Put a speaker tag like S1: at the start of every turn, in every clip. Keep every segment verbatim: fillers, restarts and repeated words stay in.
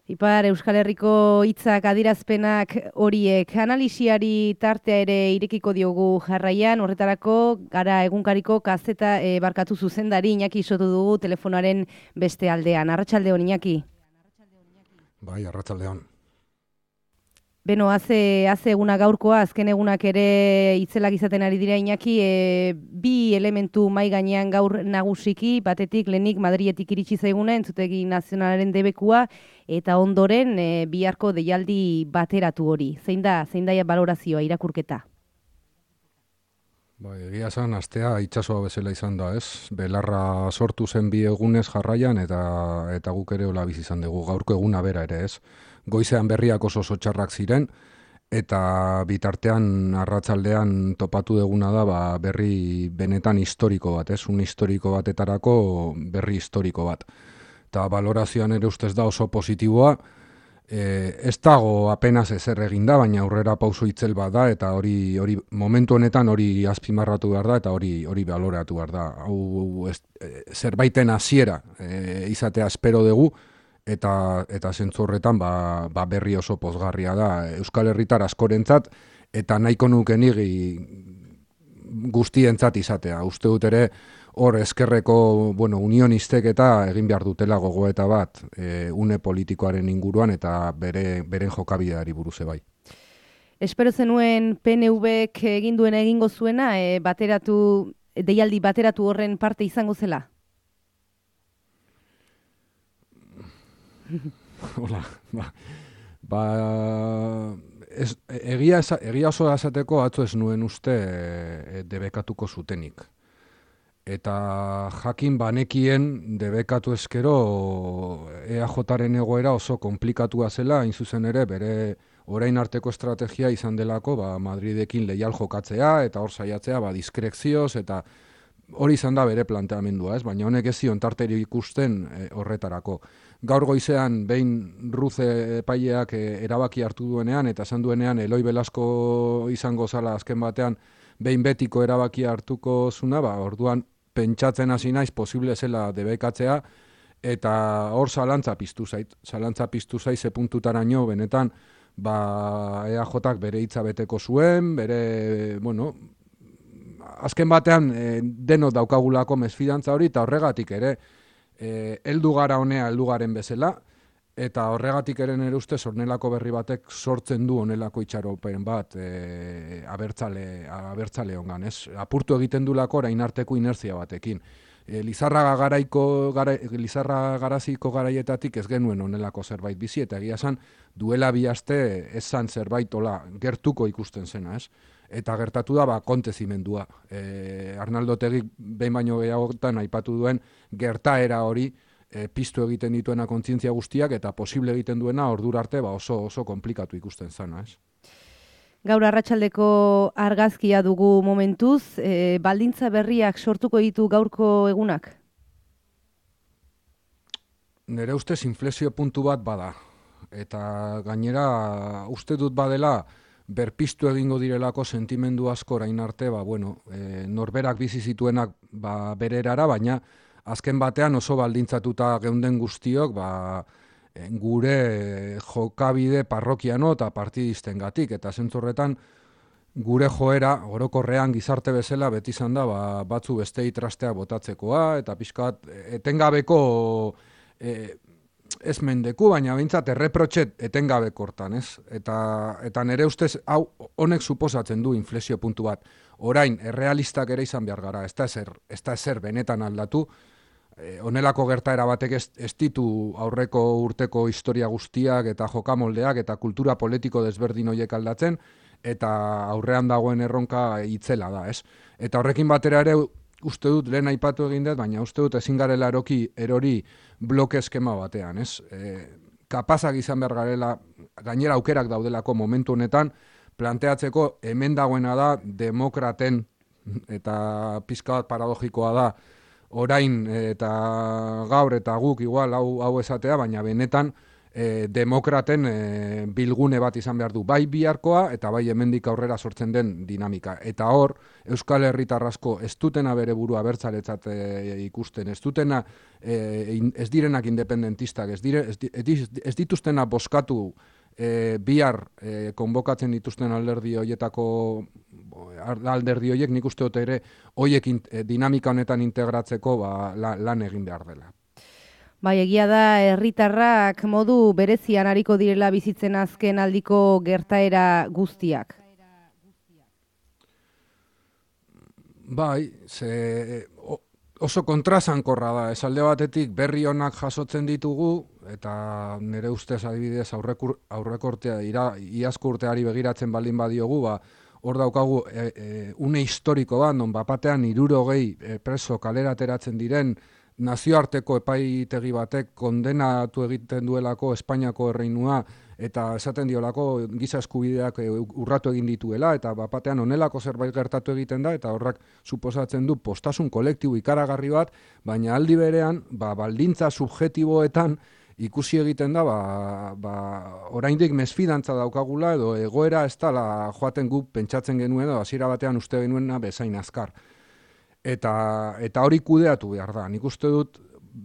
S1: Ipar Euskal Herriko hitzak adirazpenak horiek analisiari tartea ere irekiko diogu jarraian, horretarako gara egunkariko kazeta e, barkatu zuzendari Iñaki sotu dugu telefonaren beste aldean. Arratsaldeon Iñaki.
S2: Bai, arratsaldeon.
S1: Beno, haze, haze eguna gaurkoa, azken egunak ere itzelak izaten ari dira Iñaki, e, bi elementu mai gainean gaur nagusiki, batetik lehenik Madrietik iritsi zaiguna, entzutegi nazionalaren debekua, eta ondoren e, biharko deialdi bateratu hori. Zein da, zein da balorazioa, irakurketa?
S2: Bai, egia esan, astea itsasoa bezala izan da, ez? Belarra sortu zen bi egunez jarraian, eta eta guk ere hola bizi izan dugu, gaurko eguna bera ere, ez? Goizean berriak oso oso txarrak ziren, eta bitartean arratsaldean topatu duguna da ba, berri benetan historiko bat, ez? Un historiko batetarako berri historiko bat. Eta balorazioan ere ustez da oso positiboa, e, ez dago apenas ezer egin da, baina aurrera pauso itzel bat da, eta hori hori momentu honetan hori azpimarratu behar da, eta hori hori baloratu behar da. Hau ez, e, zerbaiten hasiera e, izatea espero dugu, eta eta zentzu horretan ba, ba berri oso pozgarria da Euskal Herritar askorentzat, eta nahiko nuke nigi guztientzat izatea. Uste dut ere hor eskerreko bueno, unionistek eta egin behar dutela gogoeta bat e, une politikoaren inguruan eta bere beren jokabideari buruz bai.
S1: Espero zenuen P N Vk egin duen egingo zuena, e, bateratu, deialdi bateratu horren parte izango zela?
S2: Hola, ba, ba ez, egia, egia oso esateko atzo ez nuen uste e, debekatuko zutenik. Eta jakin banekien debekatu eskero E A Jaren egoera oso komplikatua zela, hain zuzen ere bere orain arteko estrategia izan delako ba, Madridekin leial jokatzea, eta hor saiatzea ba, diskrezioz, eta hori izan da bere planteamendua, ez? Baina honek ez zion tarteri ikusten e, horretarako. Gaur goizean behin Ruze epaileak e, erabaki hartu duenean, eta esan duenean Eloi Belasko izango zala azken batean behin betiko erabaki hartuko zuna, ba, orduan pentsatzen hasi naiz posible zela debekatzea, eta hor zalantza piztu zait. Zalantza piztu zait ze puntutaraino benetan ba, E A Jak bere hitza beteko zuen, bere, bueno, azken batean e, deno daukagulako mesfidantza hori, eta horregatik ere e, heldu gara honea heldu garen bezala, eta horregatik ere nire ustez honelako berri batek sortzen du honelako itxaropen bat e, abertzale, abertzale hongan, ez? Apurtu egiten du lako orain arteko inertzia batekin. E, Lizarra garaiko gara, Lizarra garaziko garaietatik ez genuen honelako zerbait bizi, eta egia esan duela bi aste ez zan zerbait hola gertuko ikusten zena, ez? Eta gertatu da ba, kontezimendua. E, Arnaldo Otegik behin baino gehiagotan aipatu duen gertaera hori e, piztu egiten dituena kontzientzia guztiak, eta posible egiten duena ordura arte ba, oso oso komplikatu ikusten zana, ez?
S1: Gaur arratsaldeko argazkia dugu momentuz, e, baldintza berriak sortuko ditu gaurko egunak?
S2: Nere ustez inflexio puntu bat bada, eta gainera uste dut badela berpiztu egingo direlako sentimendu asko orain arte, ba, bueno, e, norberak bizi zituenak ba, bererara, baina azken batean oso baldintzatuta geunden guztiok, ba, gure jokabide parrokiano eta partidistengatik, eta zentzorretan gure joera orokorrean gizarte bezala beti izan da ba, batzu bestei trastea botatzekoa, eta pixkat etengabeko e, ez mendeku, baina behintzat erreprotxet etengabeko hortan, ez? Eta, eta nire ustez hau honek suposatzen du inflexio puntu bat. Orain, errealistak ere izan behar gara, ez da ezer, ez da ezer benetan aldatu, honelako gertaera batek ez, ez ditu aurreko urteko historia guztiak eta jokamoldeak eta kultura politiko desberdin horiek aldatzen, eta aurrean dagoen erronka itzela da, ez? Eta horrekin batera ere uste dut, lehen aipatu egin dut, baina uste dut ezin garela eroki erori bloke eskema batean, ez? E, kapazak izan behar garela, gainera aukerak daudelako momentu honetan, planteatzeko hemen dagoena da demokraten, eta pizka bat paradogikoa da, orain eta gaur eta guk igual hau, hau esatea, baina benetan e, demokraten e, bilgune bat izan behar du, bai biharkoa eta bai hemendik aurrera sortzen den dinamika. Eta hor, Euskal Herritar asko ez dutena bere burua abertzaletzat e, ikusten, ez dutena e, ez direnak independentistak, ez, dire, ez, ez, ez dituztena boskatu e, bihar e, konbokatzen dituzten alderdi horietako alderdi horiek, nik uste dut ere horiek e, dinamika honetan integratzeko ba, la, lan egin behar dela.
S1: Bai, egia da, herritarrak modu berezian ariko direla bizitzen azken aldiko gertaera guztiak.
S2: Bai, ze oso kontrasankorra da, esalde batetik berri honak jasotzen ditugu, eta nire ustez adibidez aurrekur, aurrekortea ira, iazko urteari begiratzen baldin badiogu, ba, hor daukagu e, e, une historiko bat, non bapatean hirurogei e, preso kalera ateratzen diren, nazioarteko epaitegi batek kondenatu egiten duelako Espainiako erreinua eta esaten diolako giza eskubideak urratu egin dituela eta bapatean honelako zerbait gertatu egiten da eta horrak suposatzen du postasun kolektibo ikaragarri bat, baina aldi berean ba, baldintza subjetiboetan ikusi egiten da ba, ba, oraindik mesfidantza daukagula edo egoera ez dela joaten gu pentsatzen genuen edo hasiera batean uste genuena bezain azkar. Eta, eta hori kudeatu behar da. Nik uste dut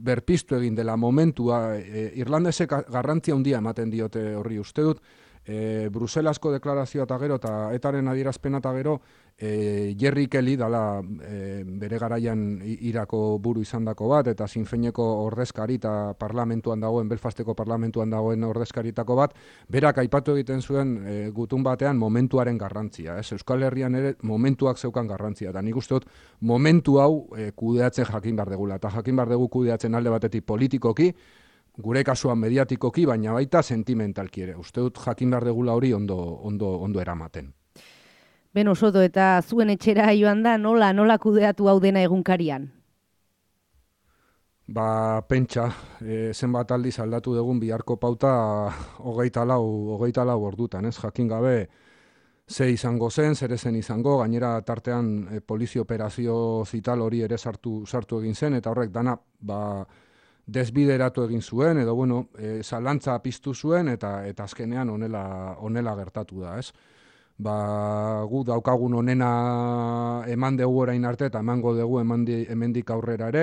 S2: berpiztu egin dela momentua, e, Irlandesek garrantzia handia ematen diote horri uste dut, e, Bruselasko deklarazioa eta gero, eta etaren adierazpena eta gero, e, Jerry Kelly dala e, bere garaian Irako buru izandako bat, eta Sinn Féineko ordezkari eta parlamentuan dagoen, Belfasteko parlamentuan dagoen ordezkaritako bat, berak aipatu egiten zuen e, gutun batean momentuaren garrantzia. Ez? Euskal Herrian ere momentuak zeukan garrantzia, eta nik uste dut momentu hau e, kudeatzen jakin behar degula, eta jakin behar dugu kudeatzen alde batetik politikoki, gure kasuan mediatikoki, baina baita sentimentalki ere. Uste dut jakin behar degula hori ondo, ondo, ondo eramaten.
S1: Beno, Soto, eta zuen etxera joan da, nola, nola kudeatu hau dena egunkarian?
S2: Ba, pentsa, e, zenbat aldiz aldatu dugun biharko pauta hogeita lau, hogeita lau ordutan, ez? Jakin gabe ze izango zen, zer ezen izango, gainera tartean e, polizio operazio zital hori ere sartu, sartu egin zen, eta horrek dana, ba, desbideratu egin zuen, edo, bueno, e, zalantza piztu zuen, eta eta azkenean honela, honela gertatu da, ez? Ba, gu daukagun honena eman dugu orain arte, eta emango dugu emandi, hemendik aurrera ere,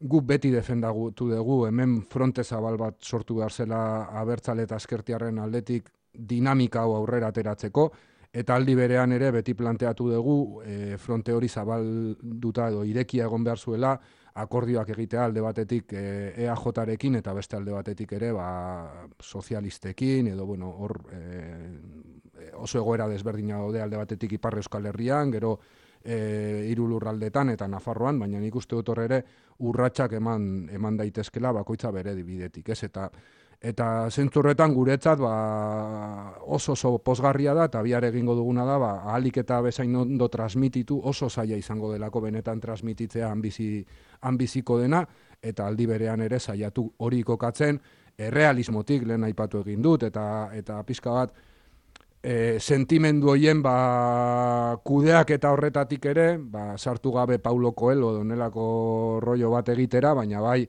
S2: gu beti defendatu dugu, hemen fronte zabal bat sortu behar zela abertzale eta eskertiarren aldetik dinamika hau aurrera ateratzeko, eta aldi berean ere beti planteatu dugu e, fronte hori zabalduta edo irekia egon behar zuela, akordioak egitea alde batetik e, E A J-rekin eta beste alde batetik ere ba, sozialistekin, edo bueno, hor e, oso egoera desberdina daude alde batetik Ipar Euskal Herrian, gero e, hiru lurraldetan eta Nafarroan, baina nik uste dut hor ere urratsak eman, eman daitezkela bakoitza bere bidetik, ez? Eta Eta zentzu horretan guretzat ba, oso oso pozgarria da, eta bihar egingo duguna da, ba, ahalik eta bezain ondo transmititu, oso zaila izango delako benetan transmititzea hanbizi, hanbiziko dena, eta aldi berean ere saiatu hori kokatzen, errealismotik lehen aipatu egin dut, eta eta pizka bat, e, sentimendu hoien ba, kudeak eta horretatik ere, ba, sartu gabe Paulo Coelho donelako rollo bat egitera, baina bai,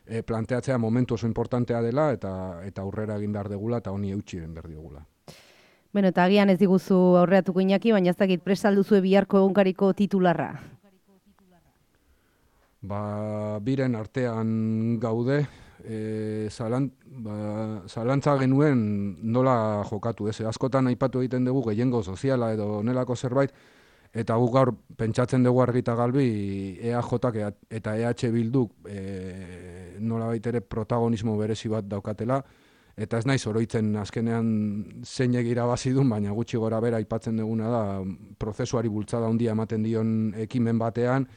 S2: E, planteatzea momentu oso importantea dela eta eta aurrera egin behar degula eta honi eutsi egin behar diogula.
S1: Bueno, eta agian ez diguzu aurreatuko Iñaki, baina ez dakit prest alduzue biharko egunkariko titularra.
S2: Ba, biren artean gaude, e, zalan, ba, zalantza genuen nola jokatu, ez? Askotan aipatu egiten dugu gehiengo soziala edo nelako zerbait, eta guk gaur pentsatzen dugu argita galbi E A Jak eta E H Bilduk e, nolabait ere protagonismo berezi bat daukatela, eta ez naiz oroitzen azkenean zeinek irabazi duen, baina gutxi gora bera aipatzen duguna da prozesuari bultzada handia ematen dion ekimen batean,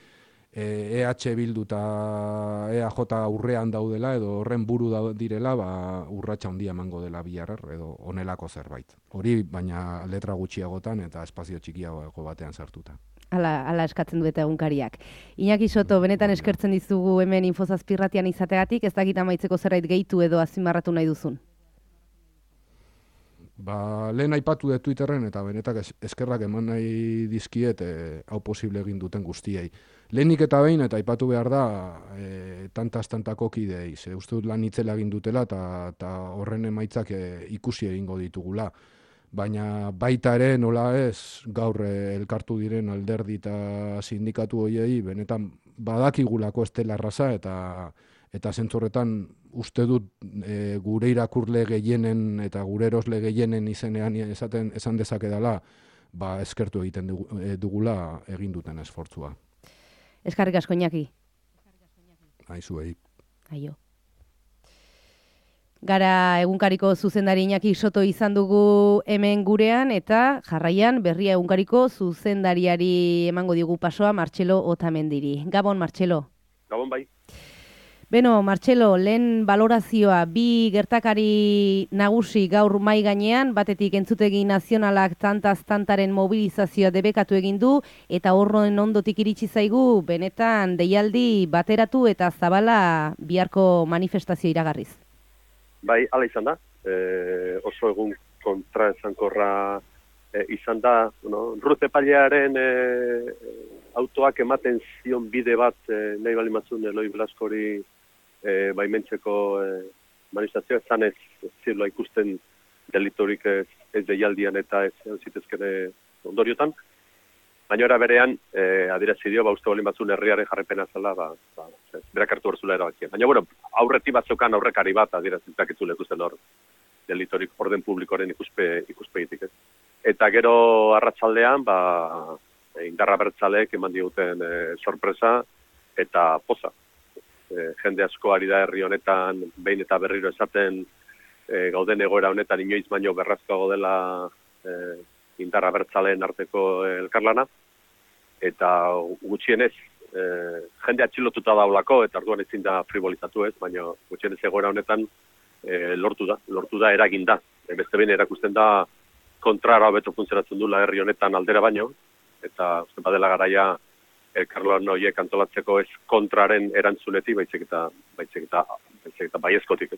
S2: E H Bildu eta E A J aurrean daudela edo horren buru da direla, ba, urratsa handia emango dela bihar edo honelako zerbait. Hori baina letra gutxiagotan eta espazio txikiago batean sartuta.
S1: Hala, hala eskatzen du eta egunkariak. Iñaki Soto, benetan eskertzen dizugu hemen Infozazpirratian izategatik, ez dakit amaitzeko zerbait gehitu edo azpimarratu nahi duzun.
S2: Ba, lehen aipatu dut Twitterren eta benetak eskerrak eman nahi dizkiet e, hau posible egin duten guztiei. lehenik eta behin, eta aipatu behar da, e, tantaz-tantako kidei, ze uste dut lan itzela egin dutela, eta horren emaitzak e, ikusi egingo ditugula. Baina baita ere, nola ez, gaur e, elkartu diren alderdi eta sindikatu hoiei, benetan badakigulako ez dela erraza, eta eta zentzorretan uste dut e, gure irakurle gehienen eta gure erosle gehienen izenean esaten esan dezake dela, ba eskertu egiten dugu, e, dugula egin duten esfortzua.
S1: Eskerrik asko Iñaki.
S2: Aizuei.
S1: Aio. Gara egunkariko zuzendari Iñaki Soto izan dugu hemen gurean, eta jarraian berria egunkariko zuzendariari emango digu pasoa Martxelo Otamendiri. Gabon, Martxelo.
S3: Gabon bai.
S1: Beno, Martxelo, lehen balorazioa, bi gertakari nagusi gaur mai gainean, batetik entzutegi nazionalak tantaz-tantaren mobilizazioa debekatu egin du, eta horren ondotik iritsi zaigu, benetan deialdi bateratu eta zabala biharko manifestazio iragarriz.
S3: Bai, hala izan da. E, oso egun kontra esankorra e, izan da. Bueno, Ruth epailearen e, autoak ematen zion bide bat e, nahi bali matzun Eloi Blaskori e, baimentzeko e, manifestazioa ezan ez zirloa ikusten delitorik ez, ez deialdian eta ez zitezkene ondoriotan. Baina era berean, e, adierazi dio, ba, uste bolin batzun herriaren jarrepena zela, ba, ba, berak hartu berzula erabakien. Baina, bueno, aurreti batzokan aurrekari bat adierazitzak etzule ikusten hor, delitorik orden publikoren ikuspe, ikuspegitik, ez. Eta gero arratsaldean, ba, indarra bertzalek eman diguten e, sorpresa eta poza. E, jende asko ari da herri honetan, behin eta berriro esaten, e, gauden egoera honetan inoiz baino berrazkoago dela e, indarra bertzaleen arteko elkarlana, eta gutxienez, e, jende atxilotuta daulako, eta orduan ezin da frivolizatu ez, baina gutxienez egoera honetan e, lortu da, lortu da eragin da. E, beste behin erakusten da kontrara hobeto funtzionatzen dula herri honetan aldera baino, eta uste badela garaia elkarlan horiek antolatzeko ez kontraren erantzunetik, baizik eta, baizik eta, baizik eta baiezkotik,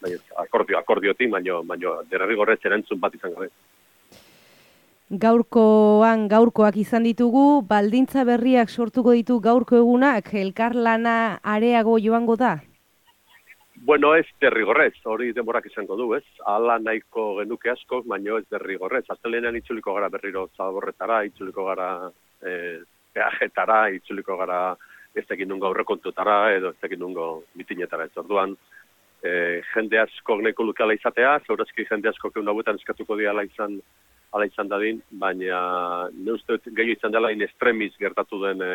S3: baiez, akordio, akordiotik, baino, baino derrigorrez erantzun bat izan gabe.
S1: Gaurkoan gaurkoak izan ditugu, baldintza berriak sortuko ditu gaurko egunak, elkarlana areago joango da?
S3: Bueno, ez derrigorrez, hori denborak izango du, ez? Hala nahiko genuke asko, baino ez derrigorrez. Astelehenean itzuliko gara berriro Zaborretara, itzuliko gara e, peajetara, itzuliko gara ez tekin nungo aurrekontutara, edo ez tekin nungo mitinetara ez orduan. E, jende asko nahiko lukela izatea, zaurazki jende asko keun hauetan eskatuko diala izan ala izan dadin, baina ne uste gehiago izan dela in extremis gertatu den e,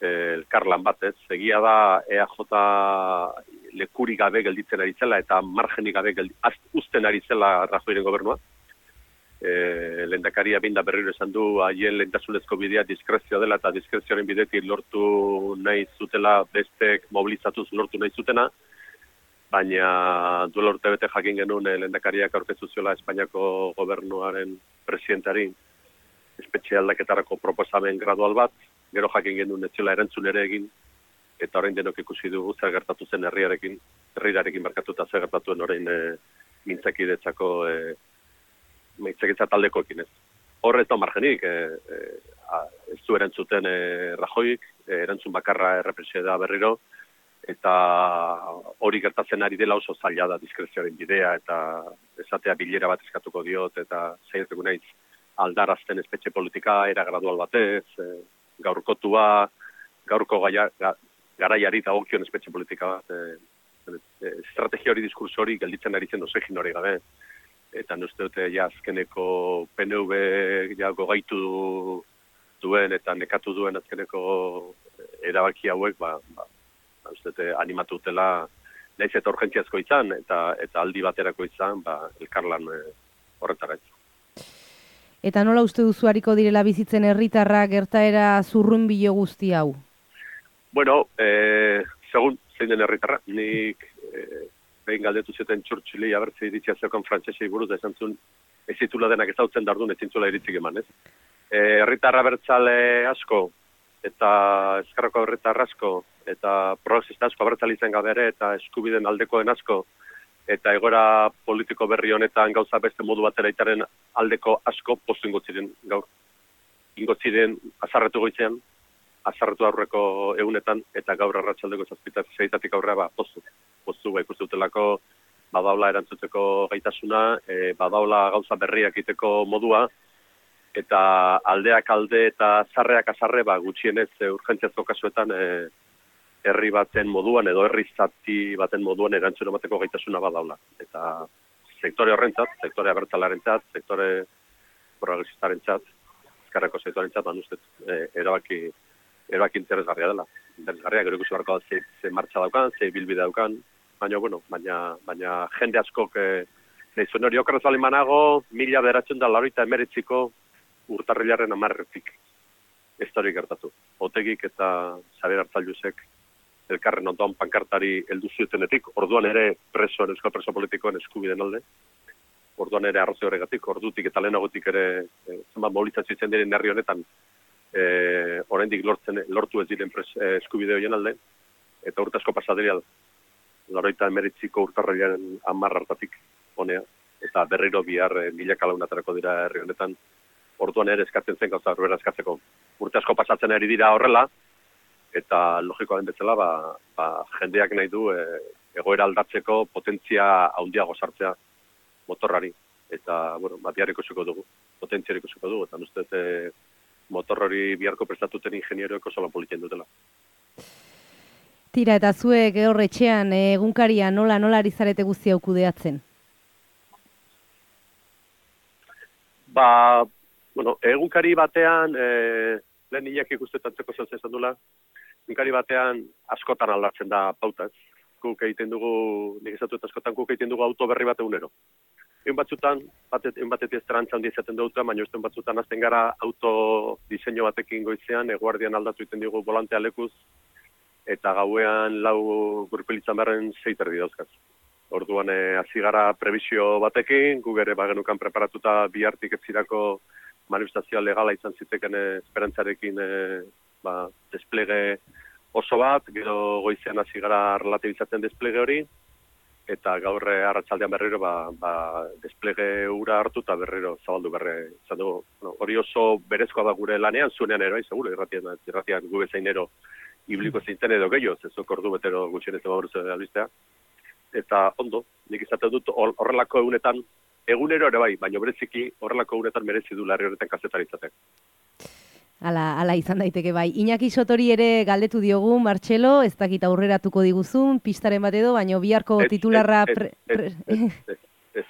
S3: e, elkarlan batez. Egia da E A J lekuri gabe gelditzen ari zela eta margenik gabe uzten ari zela Rajoyren gobernua. E, lehendakaria binda berriro esan du haien lehentasunezko bidea diskrezioa dela eta diskrezioaren bidetik lortu nahi zutela bestek mobilizatuz lortu nahi zutena. Baina duela urte bete jakin genuen lehendakariak aurkeztu ziola Espainiako gobernuaren presidentari espetxe aldaketarako proposamen gradual bat, gero jakin genuen ez ziola erantzun ere egin, eta orain denok ikusi dugu zer gertatu zen herriarekin, herriarekin markatuta zer gertatuen orain e, mintzakidetzako e, mintzakidetza taldekoekin ez. Hor ez da margenik, e, e, ez du erantzuten e, Rajoyik, e, erantzun bakarra errepresioa da berriro, eta hori gertatzen ari dela oso zaila da diskrezioaren bidea, eta esatea bilera bat eskatuko diot, eta zaieteko naiz aldarazten espetxe politika, era gradual batez, e, gaurkotua, gaurko gaia, ga, garaiari dagokion espetxe politika bat, e, e, estrategia hori, diskurso hori, gelditzen ari zen dozegin hori gabe, eta uste dute ja azkeneko P N V ja gogaitu duen, eta nekatu duen azkeneko erabaki hauek, ba, ba uste animatu dutela, nahiz eta urgentziazko izan, eta eta aldi baterako izan, ba, elkarlan e, horretara ez.
S1: Eta nola uste duzu hariko direla bizitzen herritarra gertaera zurrunbilo guzti hau?
S3: Bueno, e, segun zein den herritarra, nik e, behin galdetu zuten Churchilli abertze iritzia zeukan frantsesei buruz da esan zuen ez zitula denak ezautzen dardun ez zintzula iritzik eman, ez? E, herritarra bertzale asko, eta eskarroko herritar asko, eta progresista asko abertzale izan gabe ere, eta eskubiden aldekoen asko, eta egoera politiko berri honetan gauza beste modu batera itaren aldeko asko postu ingotziren gaur. Ingotziren azarretu goizean, azarretu aurreko egunetan, eta gaur arratsaldeko zazpitak zeitatik aurrera, ba, postu. Postu, ba, ikustutelako, badaula erantzuteko gaitasuna, e, badaula gauza berriak iteko modua, eta aldeak alde eta zarreak azarre, ba, gutxienez e, urgentziazko kasuetan e, herri baten moduan, edo herri zati baten moduan erantzun emateko gaitasuna badaula. Eta sektore horrentzat, sektore abertzalarentzat, sektore progresistarentzat, ezkerreko sektorentzat, ban ustez, e, erabaki, erabaki interesgarria dela. Interesgarria, gero ikusi barko ze, ze martxa daukan, ze bilbide daukan, baina, bueno, baina, baina jende askok, e, nahi zuen hori okerrez bali manago, mila beratzen da laurita emeretziko urtarrilaren amarretik. Ez da hori gertatu. Otegik eta Xabier Arzallusek elkarren ondoan pankartari heldu zutenetik, orduan ere presoen, euskal preso politikoen eskubiden alde, orduan ere arrazio horregatik, ordutik eta lehenagotik ere e, zenbat mobilizazio izan diren herri honetan e, oraindik lortzen, lortu ez diren pres, e, eskubide horien alde, eta urte asko pasaderial, laurogeita hemeretziko urtarrilaren hamar hartatik honea, eta berriro bihar e, milaka launatarako dira herri honetan, orduan ere eskatzen zen gauza berbera eskatzeko. Urte asko pasatzen ari dira horrela, eta logikoa den bezala, ba, ba, jendeak nahi du e, egoera aldatzeko potentzia handiago sartzea motorrari. Eta, bueno, ba, bihar ikusiko dugu, potentziari ikusiko dugu, eta ustez e, motor hori biharko prestatuten ingenieroek oso lan politien dutela.
S1: Tira, eta zuek horretxean egunkaria nola nola ari zarete guztia kudeatzen?
S3: Ba, bueno, egunkari batean, e, lehen hilak ikustetantzeko zen esan dula, egunkari batean askotan aldatzen da pautaz. Guk egiten dugu, nik esatu eta askotan guk egiten dugu auto berri bat egunero. Egun batzutan, batet, egun batetik esperantza handia izaten dut, baina egun batzutan azten gara auto diseño batekin goizean, eguardian aldatu egiten dugu volantea lekuz, eta gauean lau gurpilitzan beharren zeiterdi dauzkaz. Orduan, hasi gara prebizio batekin, gu ere bagenukan preparatuta bihartik etzirako manifestazioa legala izan ziteken esperantzarekin e, ba, desplege oso bat, gero goizean hasi gara relatibizatzen desplege hori, eta gaur arratsaldean berriro ba, ba, desplege ura hartu eta berriro zabaldu berre izan dugu. Bueno, hori oso berezkoa da gure lanean, zuenean ero, seguro, irratian, irratian gu bezainero ibliko zeinten edo gehiago, zezok ordu betero gutxien ez emaburuz albistea. Eta ondo, nik izaten dut horrelako egunetan, egunero ere bai, baina bereziki horrelako egunetan merezi du larri horretan kazetarizatek.
S1: Ala, ala izan daiteke bai. Iñaki Sotori ere galdetu diogu, Martxelo, ez dakit aurreratuko diguzun, pistaren bat edo, baina biharko
S3: ez,
S1: titularra...
S3: Ez,
S1: pre,
S3: ez,
S1: pre...
S3: ez, ez, ez, ez.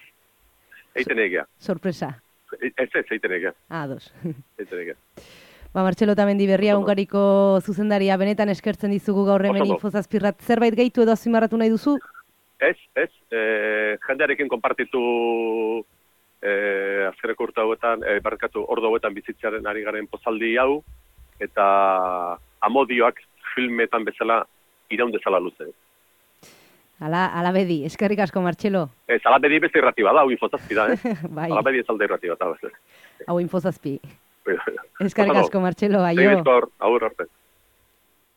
S3: Eiten egia.
S1: Sorpresa.
S3: Ez, ez, eiten egia.
S1: Ah, dos.
S3: Eiten egia.
S1: Ba, Martxelo Tamendi berria egunkariko zuzendaria benetan eskertzen dizugu gaur hemen infozazpirrat. Zerbait gehitu edo azimarratu nahi duzu?
S3: Ez, ez, e, jendearekin konpartitu e, azkereko urte hauetan, e, barkatu ordu hauetan bizitzaren ari garen pozaldi hau, eta amodioak filmetan bezala iraun dezala luze.
S1: Ala, ala bedi, eskerrik asko, Martxelo.
S3: Ez, ala bedi beste irratiba da, hau infozazpi da, eh?
S1: Bai.
S3: Ala bedi ez alde irratiba da.
S1: Hau infozazpi. Eskerrik asko, Martxelo, aio.
S3: Segizkor, agur arte.